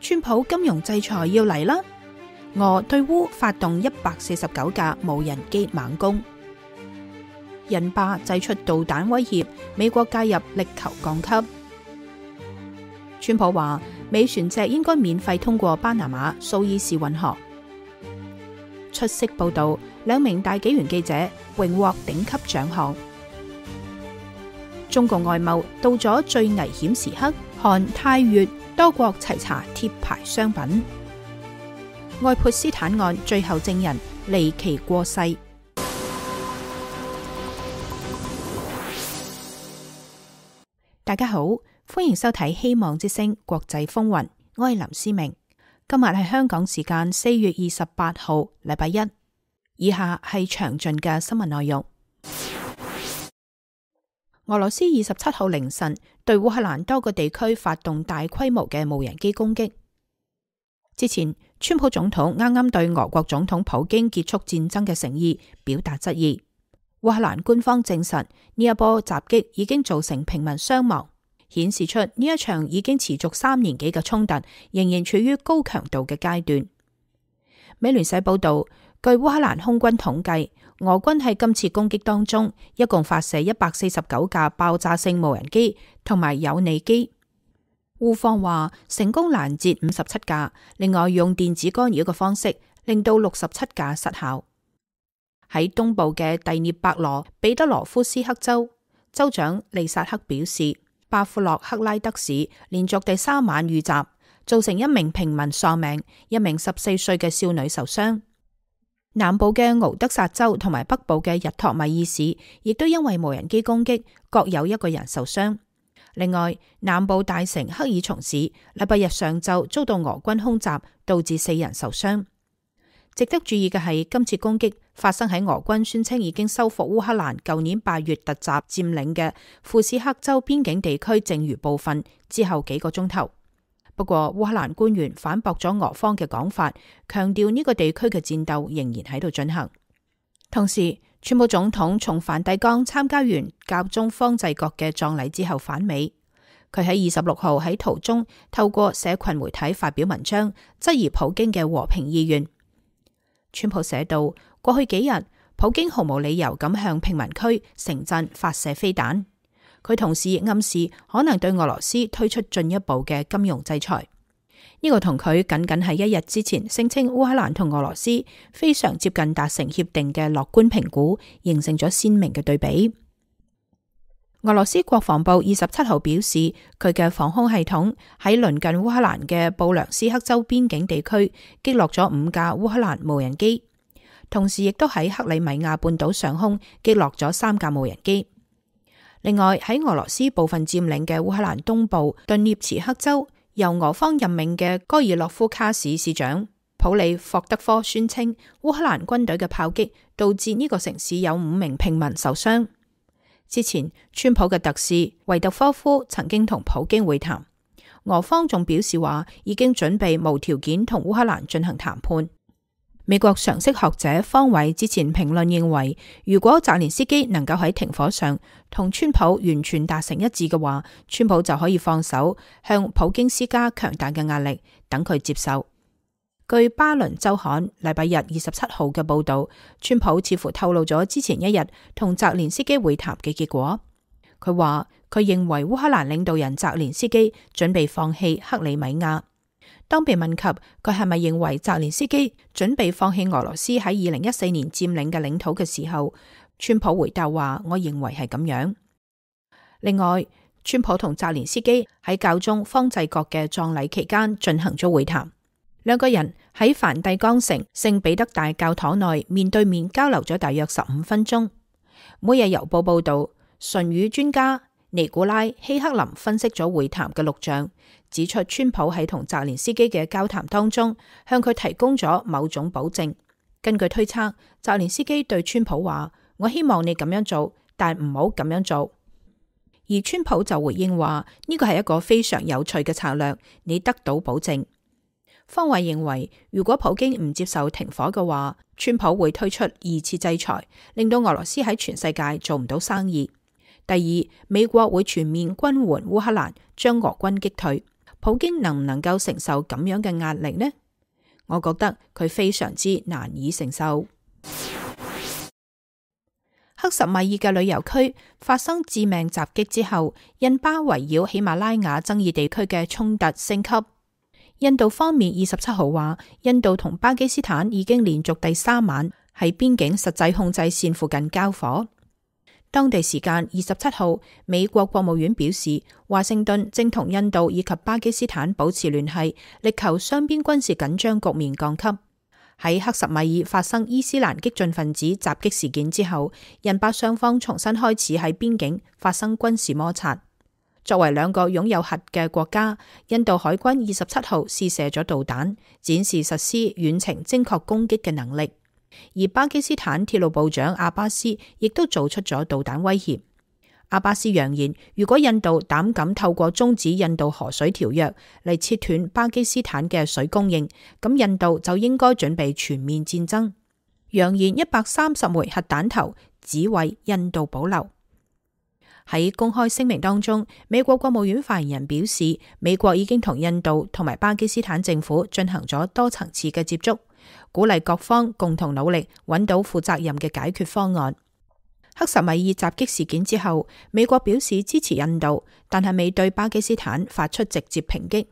川普金融制裁要嚟啦！俄對烏發動149架無人機猛攻，印巴祭出導彈威脅，美國介入力求降級。川普話美船隻應該免費通過巴拿馬蘇伊士運河。出色報道，2名大紀元記者榮獲頂級獎項。中共外貿到咗最危險時刻，韓泰越多國齊查貼牌商品。愛潑斯坦案最後證人離奇過世。大家好，歡迎收睇希望之聲國際風雲，我係林思明。今日係香港時間4月28號，禮拜一。以下係詳盡嘅新聞內容。俄羅斯27號凌晨對烏克蘭多個地區發動大規模嘅無人機攻擊。之前，川普總統啱啱對俄國總統普京結束戰爭嘅誠意表達質疑。烏克蘭官方證實呢一波襲擊已經造成平民傷亡，顯示出呢一場已經持續3年幾嘅衝突仍然處於高強度嘅階段。美聯社報道，據烏克蘭空軍統計，俄軍喺今次攻擊當中一共發射149架爆炸性無人機同埋友尼機。烏方話成功攔截57架，另外用電子干擾嘅方式令到67架失效。喺東部嘅第聶伯羅彼得羅夫斯克州，州長利薩克表示，巴夫洛克拉德市連續第3晚遇襲，造成1名平民喪命，1名14歲嘅少女受傷。南部嘅敖德薩州同埋北部嘅日托米爾市亦都因為無人機攻擊，各有1個人受傷。另外，南部大城克爾松市禮拜日上晝遭到俄軍空襲，導致4人受傷。值得注意嘅係，今次攻擊發生喺俄軍宣稱已經收復烏克蘭舊年8月突襲佔領嘅庫斯克州邊境地區剩餘部分之後幾個鐘頭。不過，烏克蘭官員反駁咗俄方嘅講法，強調呢個地區嘅戰鬥仍然喺度進行。同時，川普總統從梵蒂岡參加完教宗方濟各嘅葬禮之後返美，佢喺26號喺途中透過社群媒體發表文章，質疑普京嘅和平意願。川普寫道，過去幾日，普京毫無理由咁向平民區、城鎮發射飛彈。佢同時亦暗示可能對俄羅斯推出進一步嘅金融制裁。呢個同佢僅僅係1日之前聲稱烏克蘭同俄羅斯非常接近達成協定嘅樂觀評估，形成咗鮮明嘅對比。俄羅斯國防部27號表示，佢嘅防空系統喺鄰近烏克蘭嘅布良斯克州邊境地區擊落咗5架烏克蘭無人機，同時亦都喺克里米亞半島上空擊落咗3架無人機。另外，喺俄羅斯部分佔領嘅烏克蘭東部頓涅茨克州，由俄方任命嘅戈爾洛夫卡市市長普里霍德科宣稱，烏克蘭軍隊嘅炮擊導致呢個城市有5名平民受傷。之前，川普嘅特使維特科夫曾經同普京會談，俄方仲表示話已經準備無條件同烏克蘭進行談判。美國常識學者方偉之前評論認為，如果澤連斯基能夠喺停火上同川普完全達成一致嘅話，川普就可以放手向普京施加強大嘅壓力，等佢接受。據巴倫週刊禮拜日27號嘅報道，川普似乎透露咗之前1日同澤連斯基會談嘅結果。佢話佢認為烏克蘭領導人澤連斯基準備放棄克里米亞。當被問及佢係咪認為澤連斯基準備放棄俄羅斯喺2014年佔領嘅領土嘅時候，川普回答話：我認為係咁樣。另外，川普同澤連斯基喺教宗方濟各嘅葬禮期間進行咗會談，2個人喺梵蒂岡城聖彼得大教堂內面對面交流咗大約15分鐘。每日郵報報道，唇語專家尼古拉希克林分析咗會談嘅錄像，指出川普喺同澤連斯基嘅交談當中向佢提供咗某種保證。根據推測，澤連斯基對川普話：我希望你咁樣做，但唔好咁樣做。而川普就回應話：呢個係一個非常有趣嘅策略，你得到保證。方偉認為，如果普京唔接受停火嘅話，川普會推出2次制裁，令到俄羅斯喺全世界做唔到生意。第二，美國會全面軍援烏克蘭，將俄軍擊退。普京能唔能夠承受咁樣嘅壓力呢？我覺得佢非常之難以承受。克什米爾嘅旅遊區發生致命襲擊之後，印巴圍繞喜馬拉雅爭議地區嘅衝突升級。印度方面27號話，印度同巴基斯坦已經連續第3晚喺邊境實際控制線附近交火。當地時間27號，美國國務院表示，華盛頓正同印度以及巴基斯坦保持聯繫，力求雙邊軍事緊張局面降級。喺克什米爾發生伊斯蘭激進分子襲擊事件之後，印巴雙方重新開始喺邊境發生軍事摩擦。作為兩個擁有核嘅國家，印度海軍27號試射咗導彈，展示實施遠程精確攻擊嘅能力。而巴基斯坦鐵路部長阿巴斯亦都做出咗導彈威脅。阿巴斯揚言，如果印度膽敢透過終止印度河水條約嚟切斷巴基斯坦嘅水供應，咁印度就應該準備全面戰爭。揚言130枚核彈頭只為印度保留。喺公開聲明當中，美國國務院發言人表示，美國已經同印度同埋巴基斯坦政府進行咗多層次嘅接觸，鼓勵各方共同努力揾到負責任嘅解決方案。克什米爾襲擊事件之後，美國表示支持印度，但係未對巴基斯坦發出直接抨擊。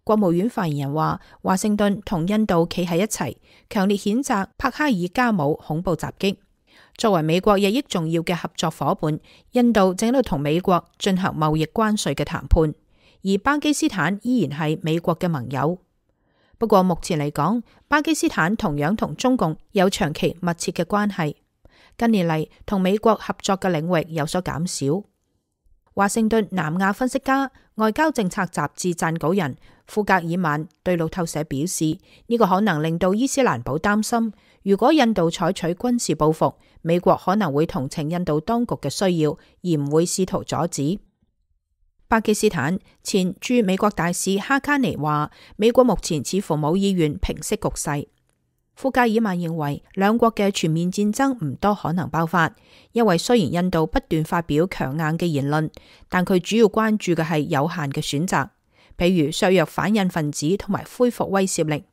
國務院發言人話，華盛頓同印度企喺一齊，強烈譴責帕克爾加姆恐怖襲擊。作為美國日益重要嘅合作夥伴，印度正喺度同美國進行貿易關稅嘅談判，而巴基斯坦依然係美國嘅盟友。不過目前嚟講，巴基斯坦同樣同中共有長期密切嘅關係，近年嚟同美國合作嘅領域有所減少。華盛頓南亞分析家、外交政策雜誌撰稿人庫格爾曼對路透社表示，呢個可能令到伊斯蘭堡擔心，如果印度採取軍事報復，美國可能會同情印度當局嘅需要，而唔會試圖阻止。巴基斯坦前駐美國大使哈卡尼話，美國目前似乎冇意願平息局勢。庫格爾曼認為，兩國嘅全面戰爭唔多可能爆發，因為雖然印度不斷發表強硬嘅言論，但佢主要關注嘅係有限嘅選擇，譬如削弱反印分子同埋恢復威懾力。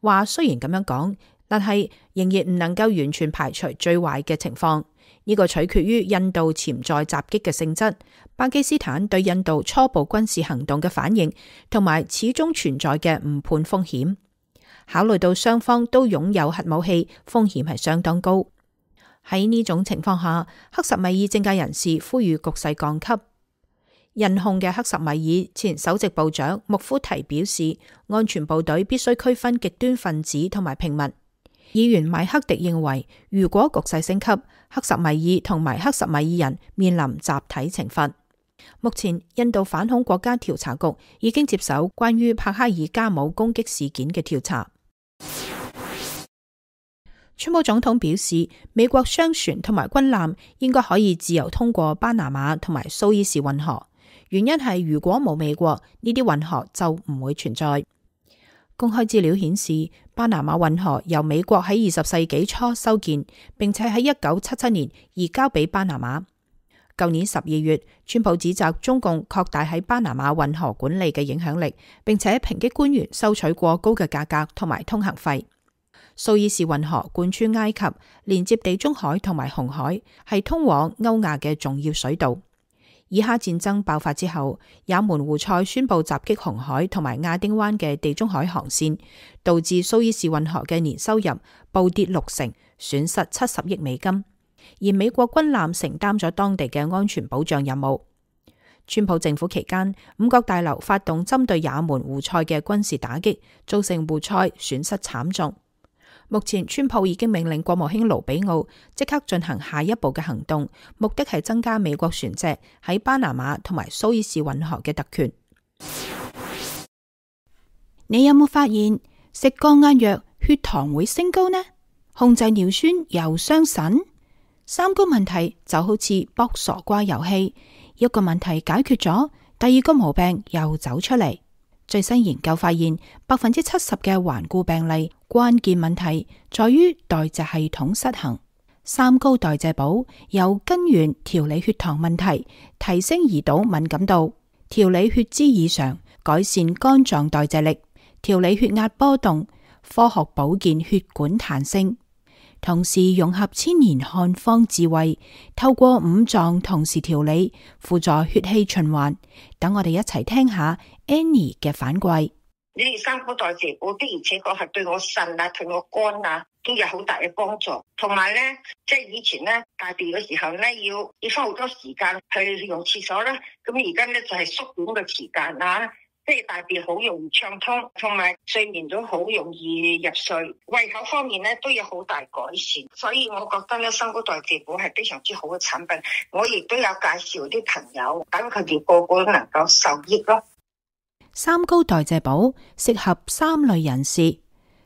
話雖然咁樣講，但係仍然唔能夠完全排除最壞嘅情況。呢個取決於印度潛在襲擊嘅性質、巴基斯坦對印度初步軍事行動嘅反應，同埋始終存在嘅誤判風險。考慮到雙方都擁有核武器，風險係相當高。喺呢種情況下，克什米爾政界人士呼籲局勢降級。印控嘅克什米爾前首席部長穆夫提表示，安全部隊必須區分極端分子同埋平民。議員米克迪認為，如果局勢升級，克什米爾同埋克什米爾人面臨集體懲罰。目前，印度反恐國家調查局已經接手關於帕克爾加姆攻擊事件嘅調查。川普總統表示，美國商船同埋軍艦應該可以自由通過巴拿馬同埋蘇伊士運河，原因係如果冇美國，呢啲運河就唔會存在。公開資料顯示，巴拿馬運河由美國喺20世紀初修建，並且喺1977年移交俾巴拿馬。舊年12月，川普指責中共擴大喺巴拿馬運河管理嘅影響力，並且抨擊官員收取過高嘅價格同埋通行費。蘇伊士運河貫穿埃及，連接地中海同埋紅海，係通往歐亞嘅重要水道。以哈戰爭爆發之後，也門胡塞宣布襲擊紅海同埋亞丁灣嘅地中海航線，導致蘇伊士運河嘅年收入暴跌60%，損失70億美金。而美國軍艦承擔咗當地嘅安全保障任務。川普政府期間，五角大樓發動針對也門胡塞嘅軍事打擊，造成胡塞損失慘重。目前，川普已經命令國務卿盧比奧即刻進行下一步嘅行動，目的係增加美國船隻喺巴拿馬同埋蘇伊士運河嘅特權。你有冇發現食降壓藥血糖會升高呢？控制尿酸又傷腎？三高問題就好似卜傻瓜遊戲，一個問題解決咗，第二個毛病又走出嚟。最新研究發現，70%嘅頑固病例關鍵問題在於代謝系統失衡。三高代謝寶由根源調理血糖問題，提升胰島敏感度，調理血脂異常，改善肝臟代謝力、調理血壓波動、科學保健血管彈性，同時融合千年漢方智慧，透過五臟同時調理，輔助血氣循環。等我哋一齊聽下 Annie 嘅反饋。你哋三高代謝補的而且確係對我腎啊、對我肝啊都有好大嘅幫助。同埋咧，即係以前咧大便嘅時候咧，要花好多時間去用廁所啦。咁而家咧就係縮短嘅時間啊，即係大便好容易暢通，同埋睡眠都好容易入睡。胃口方面咧都有好大改善，所以我覺得咧三高代謝補係非常之好嘅產品。我亦都有介紹啲朋友，等佢哋個個都能夠受益咯。三高代謝補適合三類人士：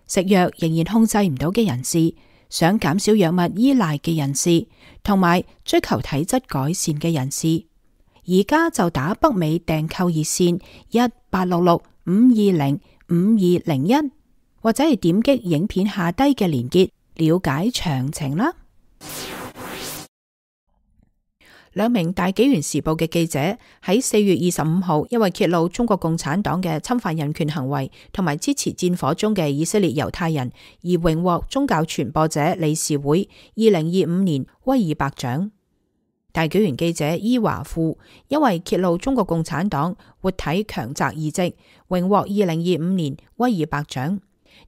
食藥仍然控制唔到嘅人士，想減少藥物依賴嘅人士，同埋追求體質改善嘅人士。而家就打北美訂購熱線1866-520-5201，或者係點擊影片下低嘅連結了解詳情啦。兩名大紀元時報嘅記者喺4月25號，因為揭露中國共產黨嘅侵犯人權行為同埋支持戰火中嘅以色列猶太人，而榮獲宗教傳播者理事會2025年威爾伯獎。大紀元記者伊華富因為揭露中國共產黨活體強摘移植，榮獲2025年威爾伯獎。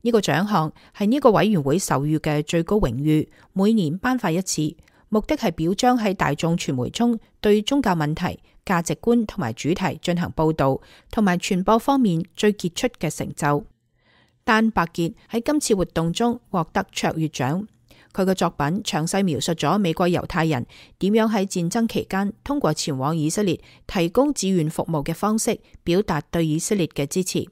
呢個獎項係呢個委員會授予嘅最高榮譽，每年頒發一次。目的係表彰喺大眾傳媒中對宗教問題、價值觀同埋主題進行報道同埋傳播方面最傑出嘅成就。丹伯傑喺今次活動中獲得卓越獎。佢嘅作品詳細描述咗美國猶太人點樣喺戰爭期間通過前往以色列提供志願服務嘅方式，表達對以色列嘅支持。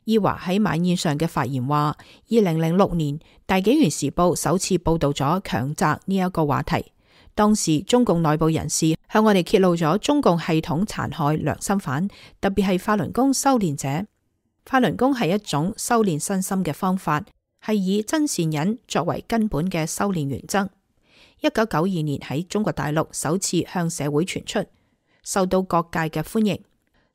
伊華喺晚宴上嘅發言話，2006年大紀元時報首次報道咗強摘呢一個話題。當時中共內部人士向我哋揭露咗中共系統殘害良心犯，特別係法輪功修煉者。法輪功係一種修煉身心嘅方法，係以真善忍作為根本嘅修煉原則。1992年喺中國大陸首次向社會傳出，受到各界嘅歡迎。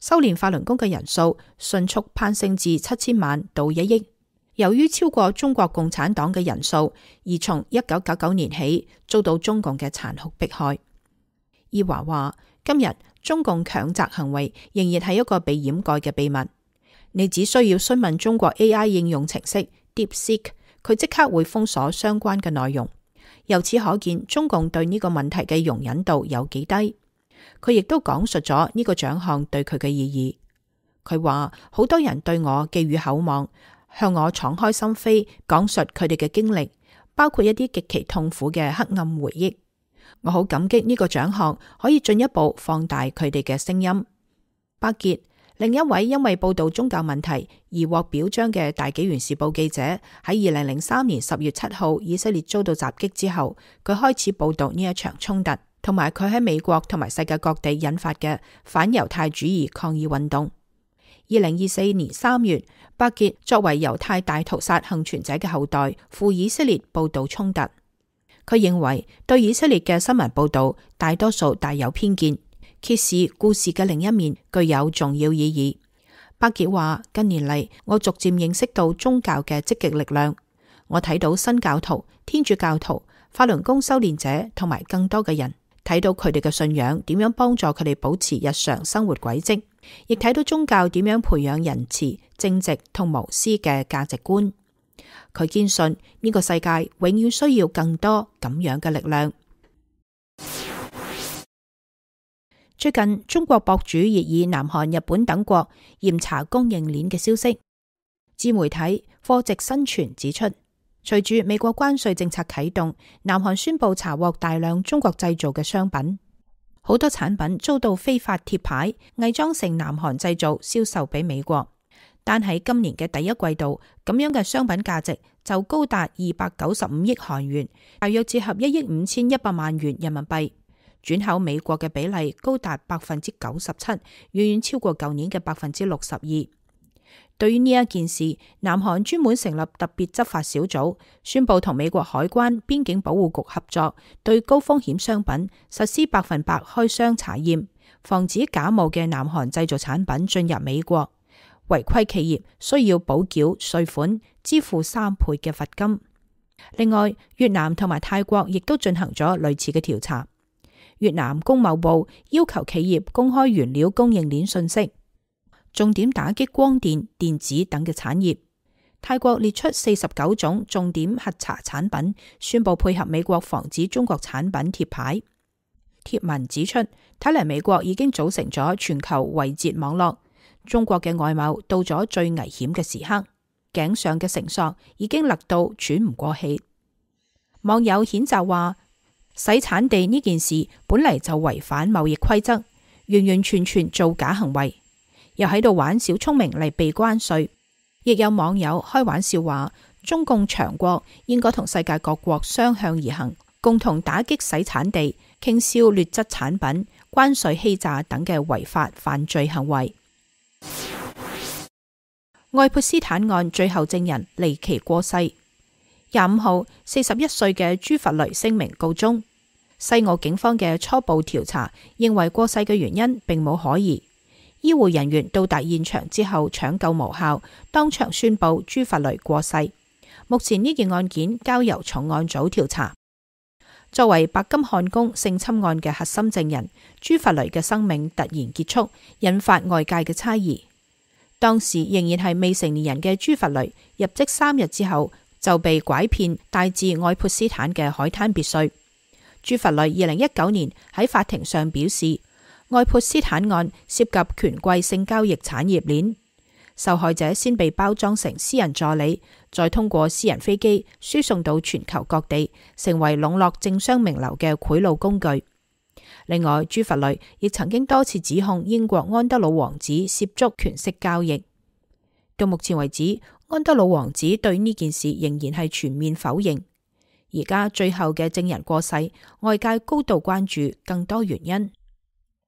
修煉法輪功嘅人數迅速攀升至7000萬到1億。由於超過中國共產黨嘅人數，而從1999年起遭到中共嘅殘酷迫害。伊華話：今日中共強摘行為仍然係一個被掩蓋嘅秘密。你只需要詢問中國 AI 應用程式 DeepSeek， 佢即刻會封鎖相關嘅內容。由此可見，中共對呢個問題嘅容忍度有幾低。佢亦都講述咗呢個獎項對佢嘅意義。佢話好多人對我寄予厚望，向我敞開心扉，講述佢哋嘅經歷，包括一啲極其痛苦嘅黑暗回憶。我好感激呢個獎項可以進一步放大佢哋嘅聲音。伯傑，另一位因為報道宗教問題而獲表彰嘅大紀元時報記者，喺2003年10月7號以色列遭到襲擊之後，佢開始報道呢一場衝突，同埋佢喺美國同埋世界各地引發嘅反猶太主義抗議運動。2024年3月，伯傑作為猶太大屠殺幸存者嘅後代，赴以色列報道衝突。佢認為對以色列嘅新聞報道大多數帶有偏見，揭示故事嘅另一面具有重要意義。伯傑話：近年嚟，我逐漸認識到宗教嘅積極力量。我睇到新教徒、天主教徒、法輪功修煉者同埋更多嘅人，睇到佢哋嘅信仰點樣幫助佢哋保持日常生活軌跡，亦睇到宗教點樣培養仁慈、正直同無私嘅價值觀。佢堅信呢個世界永遠需要更多咁樣嘅力量。最近，中國博主熱議南韓、日本等國嚴查供應鏈嘅消息。自媒體貨值新傳指出，隨住美國關稅政策啟動，南韓宣布查獲大量中國製造嘅商品，好多產品遭到非法貼牌，偽裝成南韓製造，銷售俾美國。但喺今年嘅第一季度，咁樣嘅商品價值就高達295億韓元，大約折合1億5100萬元人民幣。轉口美國嘅比例高達97%，遠遠超過舊年嘅62%。對於呢一件事，南韓專門成立特別執法小組，宣布同美國海關、邊境保護局合作，對高風險商品實施100%開箱查驗，防止假冒嘅南韓製造產品進入美國。違規企業需要補繳稅款，支付3倍嘅罰金。另外，越南同埋泰國亦都進行咗類似嘅調查。越南工貿部要求企業公開原料供應鏈信息，重點打擊光電、電子等嘅產業。泰國列出49種重點核查產品，宣布配合美國防止中國產品貼牌。貼文指出，睇嚟美國已經組成咗全球圍截網絡，中國嘅外貿到咗最危險嘅時刻，頸上嘅繩索已經勒到喘唔過氣。網友譴責話，洗產地呢件事本嚟就違反貿易規則，完完全全造假行為，又喺度玩小聰明嚟避關稅。亦有網友開玩笑話，中共強國應該同世界各國相向而行，共同打擊洗產地、傾銷劣質產品、關稅欺詐等嘅違法犯罪行為。愛潑斯坦案最後證人離奇過世。25號，41歲嘅朱佛雷聲明告終。西澳警方嘅初步調查認為過世嘅原因並冇可疑。醫護人員到達現場之後搶救無效，當場宣布朱佛雷過世。目前呢件案件交由重案組調查。作為白金漢宮性侵案嘅核心證人，朱佛雷嘅生命突然結束，引發外界嘅猜疑。當時仍然係未成年人嘅朱佛雷，入職3日之後就被拐騙帶至愛潑斯坦嘅海灘別墅。朱佛雷2019年喺法庭上表示，愛潑斯坦案涉及權貴性交易產業鏈，受害者先被包裝成私人助理，再通過私人飛機輸送到全球各地，成為籠絡政商名流嘅賄賂工具。另外，朱佛雷亦曾經多次指控英國安德魯王子涉足權色交易。到目前為止，安德魯王子對呢件事仍然係全面否認。而家最後嘅證人過世，外界高度關注更多原因。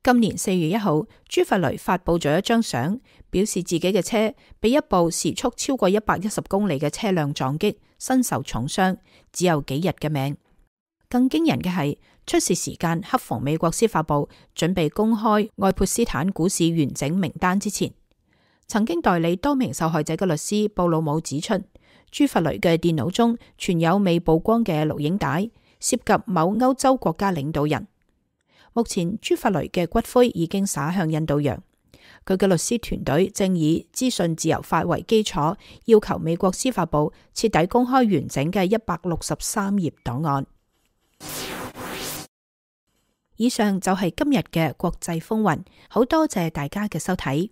今年4月1號，朱佛雷發佈咗一張相，表示自己嘅車被一部時速超過110公里嘅車輛撞擊，身受重傷，只有幾日嘅命。更驚人嘅係，出事時間恰逢美國司法部準備公開愛潑斯坦股市完整名單之前。曾經代理多名受害者嘅律師布魯姆指出，朱佛雷嘅電腦中存有未曝光嘅錄影帶，涉及某歐洲國家領導人。目前朱佛雷嘅骨灰已經灑向印度洋，佢嘅律師團隊正以資訊自由法為基礎，要求美國司法部徹底公開完整嘅163頁檔案。以上就係今日嘅國際風雲，好多謝大家嘅收睇，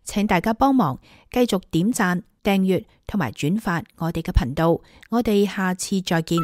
請大家幫忙繼續點讚、訂閱同埋轉發我哋嘅頻道，我哋下次再見。